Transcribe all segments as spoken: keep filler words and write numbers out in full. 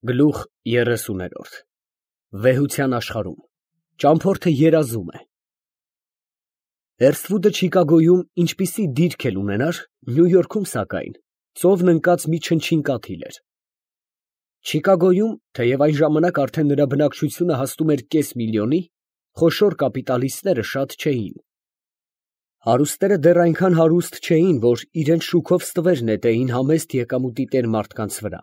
Գլուխ երեսուներորդ Վեհության աշխարհում ճամփորդը երազում է։ Էրսթվուդը Չիկագոյում ինչպիսի դիրք էլ ունենար, Նյու Յորքում, սակայն, ծովն ընկած մի չնչին կաթիլ էր։ Չիկագոյում, թեև այն ժամանակ արդեն նրա բնակչությունը հասնում էր կես միլիոնի, խոշոր կապիտալիստները շատ չէին։ Հարուստները դեռ այնքան հարուստ չէին, որ իրենց շուքով ստվեր նետեին համեստ եկամուտի տեր մարդկանց վրա։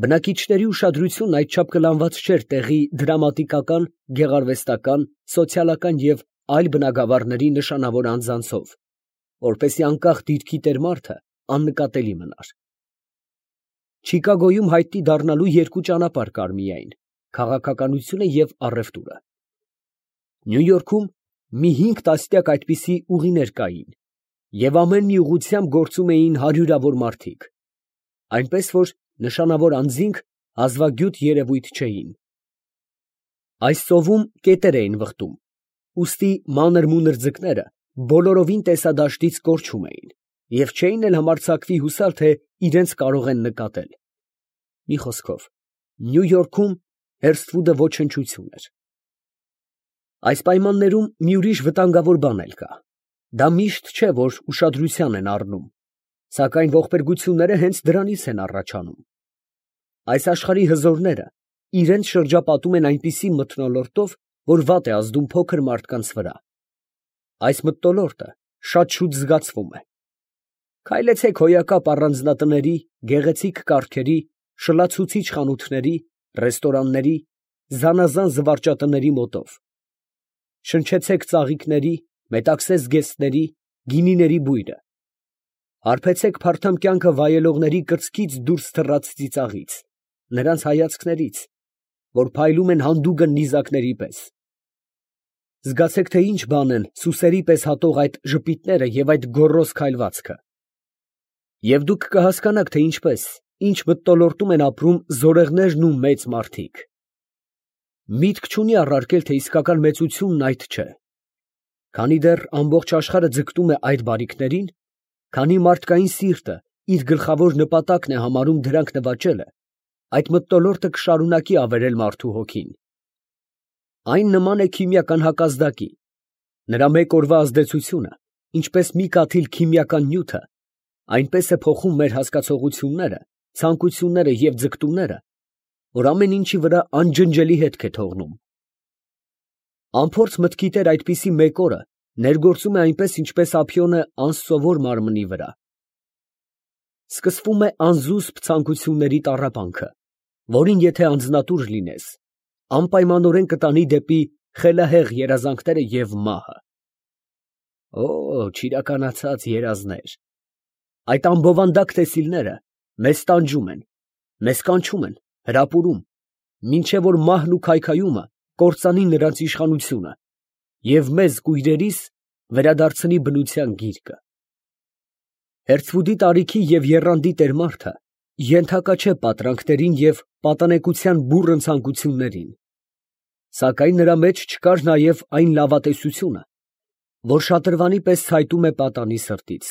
Բնակիչների ուշադրությունն այդչափ կլանված չէր տեղի դրամատիկական, գեղարվեստական, սոցիալական և այլ բնագավառների նշանավոր անձանցով, որպեսզի անկախ դիրքի տեր մարդը աննկատելի մնար։ Չիկագոյում հայտնի դառնալու երկու ճանապարհ կար միայն՝ քաղաքականությունը և առևտուրը։ Նյու Յորքում մի հինգ տասնյակ այդպիսի ուղիներ կային, և ամեն մի ուղղությամբ գործում էին հարյուրավոր մարդիկ, այնպես որ նշանավոր անձինք հազվագյուտ երևույթ չէին։ Այս ծովում կետեր էին վխտում, ուստի մանր֊մունր ձկները բոլորովին տեսադաշտից կորչում էին և չէին էլ համարձակվի հուսալ, թե իրենց կարող են նկատել։ Մի խոսքով, Նյու Յորքում Էրսթվուդը ոչնչություն էր։ Այս պայմաններում մի ուրիշ վտանգավոր բան էլ կա. դա միշտ չէ, որ ուշադրության են առնում, սակայն ողբերգությունները հենց դրանից են առաջանում։ Այս աշխարհի հզորները իրենց շրջապատում են այնպիսի մթնոլորտով, որ վատ է ազդում փոքր մարդկանց վրա։ Այս մթնոլորտը շատ շուտ զգացվում է։ Քայլեցեք հոյակապ առանձնատների, գեղեցիկ կառքերի, շլացուցիչ խանութների, ռեստորանների, զանազան զվարճատների մոտով։ Շնչեցեք ծաղիկների, մետաքսե զգեստների, գինիների բույրը։ Հարբեցեք փարթամ կյանքը վայելողների կրծքից դուրս թռած ծիծաղից, նրանց հայացքներից, որ փայլում են հանդուգն նիզակների պես։ Զգացեք, թե ինչ բան են սուսերի պես հատող այդ ժպիտները և այդ գոռոզ քայլվածքը։ Եվ դուք կհասկանաք, թե ինչպես, ինչ մթնոլորտում են ապրում զորեղներն ու մեծ մարդիկ։ Միտք չունի առարկել, թե իսկական մեծությունն այդ չէ։ Քանի դեռ ամբողջ աշխարհը ձգտում է այդ բարիքներին, քանի մարդկային սիրտը իր գլխավոր նպատակն է համարում դրանք նվաճելը, այդ մթնոլորտը կշարունակի ավերել մարդու հոգին։ Այն նման է քիմիական հակազդակի. նրա մեկ օրվա ազդեցությունը, ինչպես մի կաթիլ քիմիական նյութը, այնպես է փոխում մեր հասկացողությունները, ցանկությունները և ձգտումները, որ ամեն ինչի վրա անջնջելի հետք է թողնում։ Անփորձ մտքի տեր այդպիսի մեկ օրը ներգործում է այնպես, ինչպես ափիոնը անսովոր մարմնի վրա։ Սկսվում է անզուսպ ցանկությունների տառապանքը, որին եթե անձնատուր լինես, անպայմանորեն կտանի դեպի խելահեղ երազանքները և մահը։ Օ, չիրականացած երազներ… Այդ ամբովանդակ տեսիլները մեզ տանջում են, մեզ կանչում են, հրապուրում, մինչև որ մահն ու քայքայումը կործանի նրանց իշխանությունը և մեզ, կույրերիս, վերադարձնի բնության գիրկը։ Էրսթվուդի տարիքի և եռանդի տեր մարդը ենթակա չէ պատրանքներին և պատանեկության բուռն ցանկություններին, սակայն նրա մեջ չկար նաև այն լավատեսությունը, որ շատրվանի պես ցայտում է պատանի սրտից։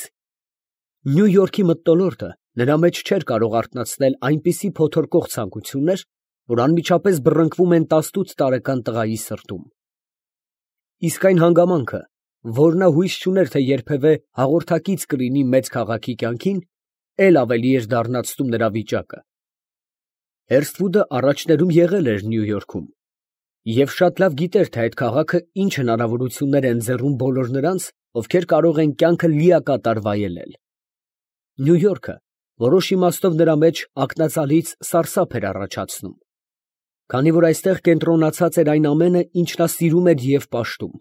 Նյու Յորքի մթնոլորտը նրա մեջ չէր կարող արթնացնել այնպիսի փոթորկող ցանկություններ, որ անմիջապես բռնկվում են տասնութ տարեկան տղայի սրտում։ Իսկ այն հանգամանքը, որ նա հույս չուներ, թե երբևէ հաղորդակից կլինի մեծ քաղաքի կյանքին, էլ ավելի էր դառնացնում նրա վիճակը։ Էրսթվուդը առաջներում եղել էր Նյու Յորքում և շատ լավ գիտեր, թե այդ քաղաքը ինչ հնարավորություններ է ընձեռում բոլոր նրանց, ովքեր կարող են կյանքը լիակատար վայելել։ Նյու Յորքը որոշ իմաստով նրա մեջ ակնածալից սարսափ էր առաջացնում, քանի որ այստեղ կենտրոնացած էր այն ամենը, ինչ նա սիրում էր և պաշտում՝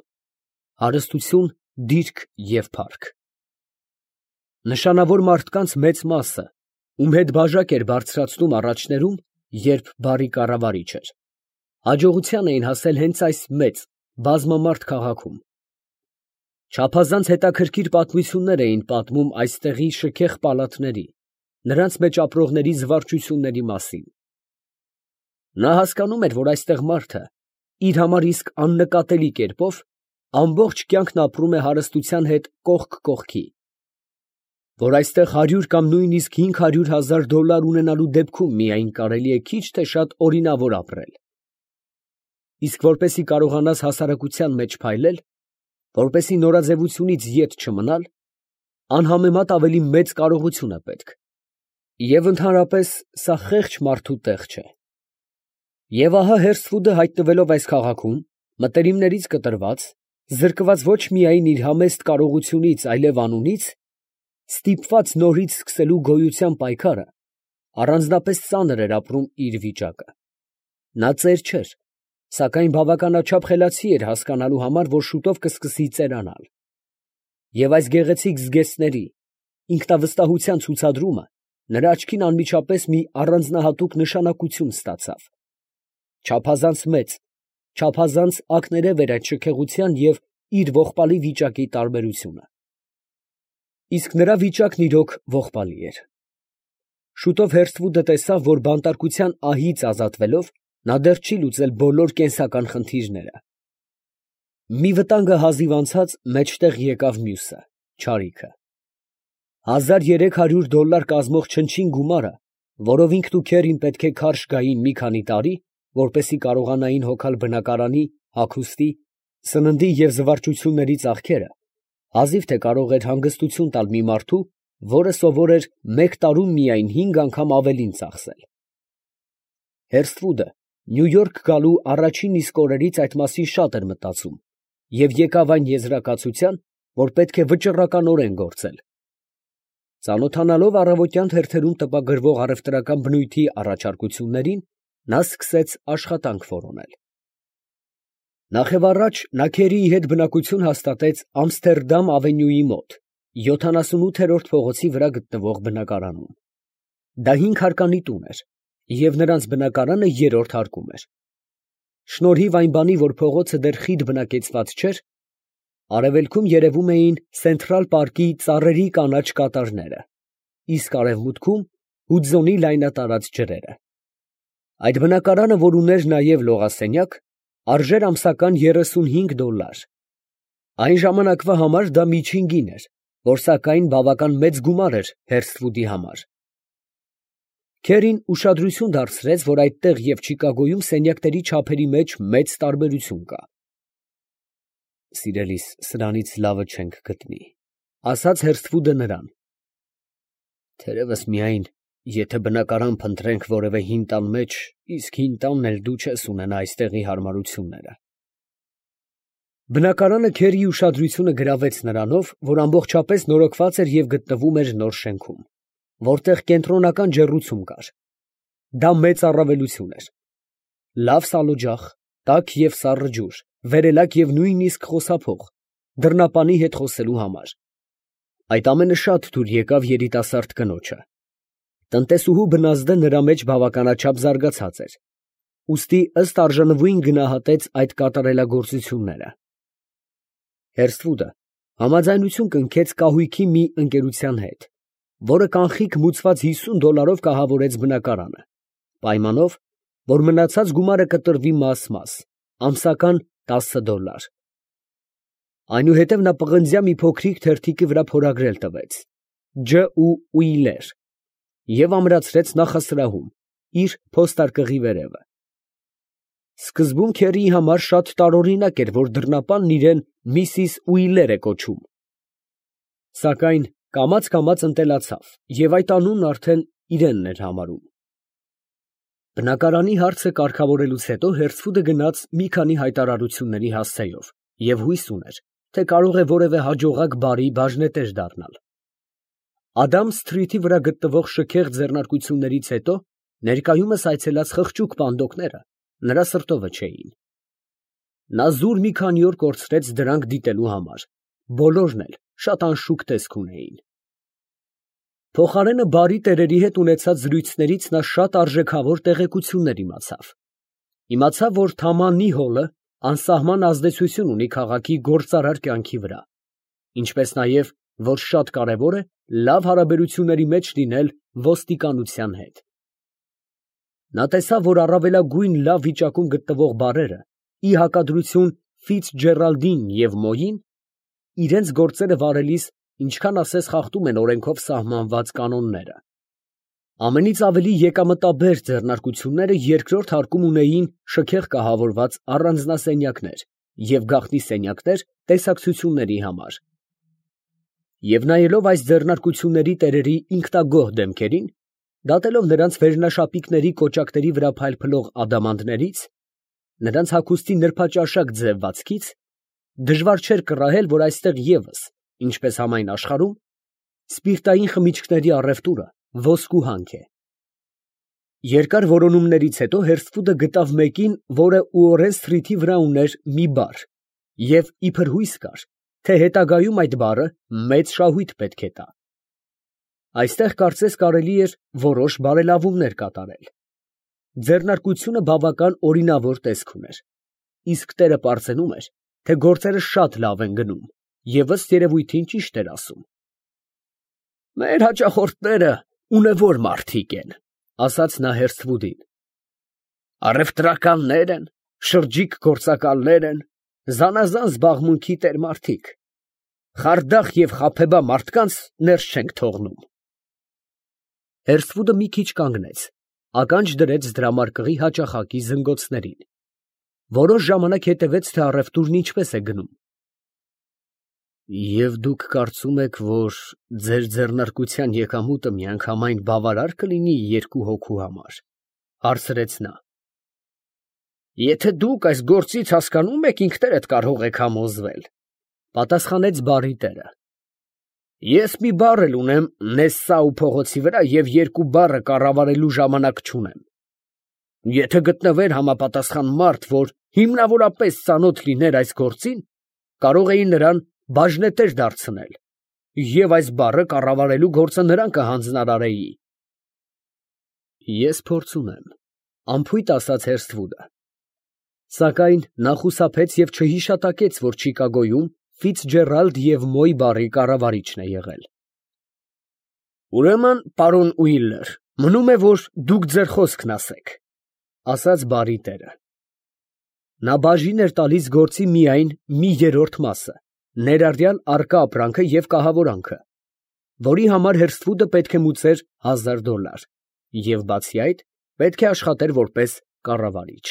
հարստություն, դիրք և փառք։ Նշանավոր մարդկանց մեծ մասը, ում հետ բաժակ էր բարձրացնում առաջներում, երբ բարի կառավարիչ էր, հաջողության էին հասել հենց այս մեծ, բազմամարդ քաղաքում։ Չափազանց հետաքրքիր պատմություններ էին պատմում այստեղի շքեղ պալատների, նրանց մեջ ապրողների զվարճությունների մասին։ Նա հասկանում էր, որ այստեղ մարդը իր համար իսկ աննկատելի կերպով ամբողջ կյանքն ապրում է հարստության հետ կողք կողքի։ որ այստեղ հարյուր կամ նույնիսկ հինգ հարյուր հազար դոլար ունենալու դեպքում միայն կարելի է քիչ թե շատ օրինավոր ապրել։ Իսկ որպեսզի կարողանաս հասարակության մեջ փայլել, որպեսզի նորաձևությունից ետ չմնալ, անհամեմատ ավելի մեծ կարողություն է պետք։ Եվ ընդհանրապես սա խեղճ մարդու տեղ չէ։ Եվ ահա Հերսֆուդը հայտնվելով այս քաղաքում, մտերիմներից կտրված, զրկված ոչ միայն իր համեստ կարողությունից, այլև անունից, ստիպված նորից սկսելու գոյության պայքարը, առանձնապես ծանր էր ապրում իր վիճակը։ Նա ծեր չէր, սակայն բավականաչափ խելացի էր հասկանալու համար, որ շուտով կսկսի ծերանալ։ Եվ այս գեղեցիկ զգեստների, ինքնավստահության ցուցադրումը նրա աչքին անմիջապես մի առանձնահատուկ նշանակություն ստացավ։ Չափազանց մեծ, չափազանց ակներև էր այդ շքեղության և իր ողբալի վիճակի տարբերությունը։ Իսկ նրա վիճակն իրոք ողբալի էր։ Շուտով Հերսթվուդը տեսավ, որ բանտարկության ահից ազատվելով, նա դեռ չի լուծել բոլոր կենսական խնդիրները։ Մի վտանգը հազիվ անցած մեջտեղ եկավ մյուսը՝ չարիքը։ Հազար երեք հարյուր դոլար կազմող չնչին գումարը, որով ինքն ու քերին պետք է քարշ գային մի քանի տարի, որպեսզի կարողանային հոգալ բնակարանի, հագուստի, սննդի և զվարճությունների ծախքերը, հազիվ թե կարող էր հանգստություն տալ մի մարդու, որը սովոր էր մեկ տարում միայն հինգ անգամ ավելին ծախսել։ Հերսթվուդը Նյու Յորք գալու առաջին իսկ օրերից այդ մասին շատ էր մտածում և եկավ այն եզրակացության, որ պետք է վճռականորեն գործել։ Ծանոթանալով առավոտյան թերթերում տպագրվող առևտրական բնույթի առաջարկություններին, նա սկսեց աշխատանք որոնել։ Նախևառաջ նա քերիի հետ բնակություն հաստատեց Ամստերդամ ավենյուի մոտ, յոթանասունութերորդ փողոցի վրա գտնվող բնակարանում։ Դա հինգ հարկանի տուն էր, և նրանց բնակարանը երրորդ հարկում էր։ Շնորհիվ այն բանի, որ փողոցը դեռ խիտ բնակեցված չէր, արևելքում երևում էին Սենթրալ պարկի ծառերի կանաչ կատարները, իսկ արևմուտքում Հուդզոնի լայնատարած ջրերը։ Այդ բնակարանը, որ ուներ նաև լողասենյակ, արժեր ամսական երեսունհինգ դոլար։ Այն ժամանակվա համար դա միջին գին էր, որ սակայն բավական մեծ գումար էր Հերսթվուդի համար։ Քերին ուշադրություն դարձրեց, որ այդտեղ և Չիկագոյում սենյակների չափերի մեջ մեծ տարբերություն կա։ «Սիրելիս, սրանից լավը չենք գտնի», ֊ ասաց Հերսթվուդը նրան։ «Թերևս միայն, եթե բնակարան փնտրենք որևէ հին տան մեջ, իսկ հին տանն էլ դու չես ունենա այստեղի հարմարությունները»։ Բնակարանը քերիի ուշադրությունը գրավեց նրանով, որ ամբողջապես նորոգված էր և գտնվում էր նոր շենքում, որտեղ կենտրոնական ջեռուցում կար։ Դա մեծ առավելություն էր։ Լավ սալօջախ, տաք և սառը ջուր, վերելակ և նույնիսկ խոսափող, դռնապանի հետ խոսելու համար։ Այդ ամենը շատ թույլ եկավ երիտասարդ կնոջը։ Տնտեսուհու բնազդը նրա մեջ բավականաչափ զարգացած էր, ուստի ըստ արժանվույն գնահատեց այդ կատարելագործությունները։ Հերսթվուդը համաձայնություն կնքեց կահույքի մի ընկերության հետ, որը կանխիկ մուծված հիսուն դոլարով կահավորեց բնակարանը, պայմանով, որ մնացած գումարը կտրվի մաս֊մաս, ամսական տասը դոլար։ Այնուհետև նա պղնձյա մի փոքրիկ թերթիկի վրա փորագրել տվեց Ջ. Ուիլեր և ամրացրեց նախասրահում, իր փոստարկղի վերևը։ Սկզբում քերիի համար շատ տարօրինակ էր, որ դռնապանն իրան Միսիս Ուիլեր է կոչում, սակայն կամաց֊կամաց ընտելացավ և այդ անունն արդեն իրենն էր համարում։ Բնակարանի հարցը կարգավորելուց հետո Հերսթվուդը գնաց մի քանի հայտարարությունների հասցեով և հույս ուներ, թե կարող է որևէ հաջողակ բարի բաժնետեր դառնալ։ Ադամս սթրիթի վրա գտնվող շքեղ ձեռնարկություններից հետո ներկայումս այցելած խղճուկ պանդոկները նրա սրտովը չէին։ Նա զուր մի քանի օր կորցրեց դրանք դիտելու համար, բոլորն էլ շատ անշուք տեսք ունեին։ Փոխարենը բարի տերերի հետ ունեցած զրույցներից նա շատ արժեքավոր տեղեկություններ իմացավ։ Իմացավ, որ Թամա Նիհոլը անսահման ազդեցություն ունի քաղաքի գործարար կյանքի վրա, ինչպես նաև, որ շատ կարևոր է լավ հարաբերությունների մեջ լինել ոստիկանության հետ։ Նա տեսավ, որ առավելագույն լավ վիճակում գտնվող բարերը, ի հակադրություն Ֆիցջերալդին և Մոյին, իրենց գործերը վարելիս ինչքան ասես խախտում են օրենքով սահմանված կանոնները։ Ամենից ավելի եկամտաբեր ձեռնարկությունները երկրորդ հարկում ունեին շքեղ կահավորված առանձնասենյակներ և գաղտնի սենյակներ տեսակցությունների համար։ Եվ նայելով այս ձեռնարկությունների տերերի ինքնագոհ դեմքերին, դատելով նրանց վերնաշապիկների կոճակների վրա փայլփլող ադամանդներից, նրանց հագուստի նրբաճաշակ ձևվածքից, դժվար չէր կռահել, որ այստեղ ևս, ինչպես համայն աշխարհում, սպիրտային խմիչքների առևտուրը ոսկու հանք է։ Երկար որոնումներից հետո Հերսթվուդը գտավ մեկին, որը Ուորեն Սթրիթի վրա ուներ մի բար, և իբր հույս կար, թե հետագայում այդ բարը մեծ շահույթ պետք է տա։ Այստեղ կարծես կարելի էր որոշ բարելավումներ կատարել։ Ձեռնարկությունը բավական օրինավոր տեսք ուներ, իսկ տերը պարծենում էր, թե գործերը շատ լավ են գնում, և ըստ երևույթին ճիշտ էր ասում։ «Մեր հաճախորդները ունևոր մարդիկ են», ֊ ասաց նա Հերսթվուդին։ «Առևտրականներ են, շրջիկ գործակալներ են, զանազան զբաղմունքի տեր֊մարդիկ. խարդախ և խաբեբա մարդկանց ներս չենք թողնում»։ Հերսթվուդը մի քիչ կանգնեց, ականջ դրեց դրամարկղի հաճախակի զնգոցներին, որոշ ժամանակ հետևեց, թե առևտուրն ինչպես է գնում։ «Եվ դուք կարծում եք, որ ձեր ձեռնարկության եկամուտը միանգամայն բավարար կլինի երկու հոգու համար, ֊ հարցրեց նա։ ֊ Եթե դուք այս գործից հասկանում եք, ինքներդ կարող եք համոզվել, ֊ պատասխանեց բարի տերը։ ֊ Ես մի բառ էլ ունեմ Նեսսաու փողոցի վրա և երկու բառը կառավարելու ժամանակ չունեմ։ Եթե գտնվեր համապատասխան մարդ, որ հիմնավորապես ծանոթ լիներ այս գործին, կարող էի նրան բաժնետեր դարձնել, և այս բառը կառավարելու գործը նրան կհանձնարարեի։ ֊ Ես փորձ ունեմ, ֊ անփույթ ասաց Հերսթվուդը։ Սակայն նա խուսափեց և չհիշատակեց, որ Չիկագոյում Ֆիցջերալդ և Մոյ բարի կառավարիչն է եղել։ ֊ Ուրեմն, պարոն Ուիլլեր, մնում է, որ դուք ձեր խոսքն ասեք, ֊ ասաց բարի տերը։ Նա բաժին էր տալիս գործի միայն մի երրորդ մասը, ներառյալ առկա ապրանքը և կահավորանքը, որի համար Հերսթվուդը պետք է մուծեր հազար դոլար և, բացի այդ, պետք է աշխատեր որպես կառավարիչ։